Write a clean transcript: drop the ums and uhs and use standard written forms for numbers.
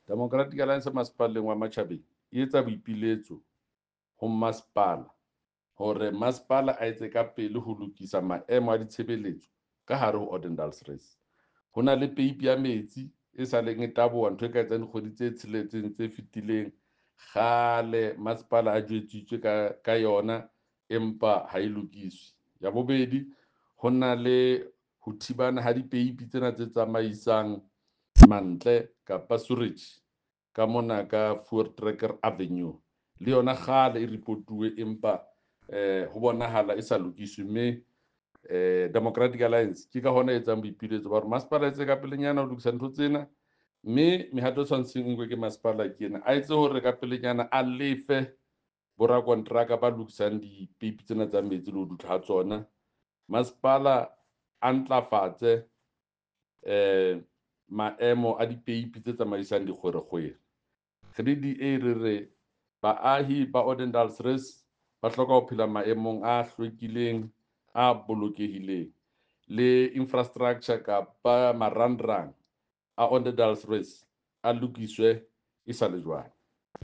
Democratic Alliance masepaleng wa Matjhabeng e etsa boipiletso ho masepala hore masepala a etse ka pele ho lokisa maemo a ditshebeletso ka hare ho Odendaalsrus. Ho na le peipi ya metsi e sa leng e taboha, ntho e ka etsang dikgwedi tse tsheletseng tse fetileng. Kgale masepala a jwetsitswe ka yona, empa ha e lokiswe. Ya bobedi, ho na le ho thibana ha dipeipi tsena tse tsamaisang mantle kapa sewerage ka mona ka Voortrekker Avenue. Le yona kgale e reportuwe, empa ho bonahala e sa lokiswe. Mme Democratic Alliance ke ka hona e etsang boipiletso ba hore masepala etse ka pelenyana ho lokisa ntho tsena, mme mehato e tshwanetseng e nkwe ke masepala ke ena. A etse hore ka pelenyana a lefe borakonteraka ba lokisang dipeipi tsena tsa metsi le ho dutla ha tsona. Masepala a ntlafatse maemo a dipeipi tse tsamaisang dikgwerekgwere. Re le DA re re baahi ba Odendaalsrus ba hloka ho phela maemong a hlwekileng, a bolokehileng. Le infrastructure kapa marangrang a Odendaalsrus a lokiswe e sa le jwale.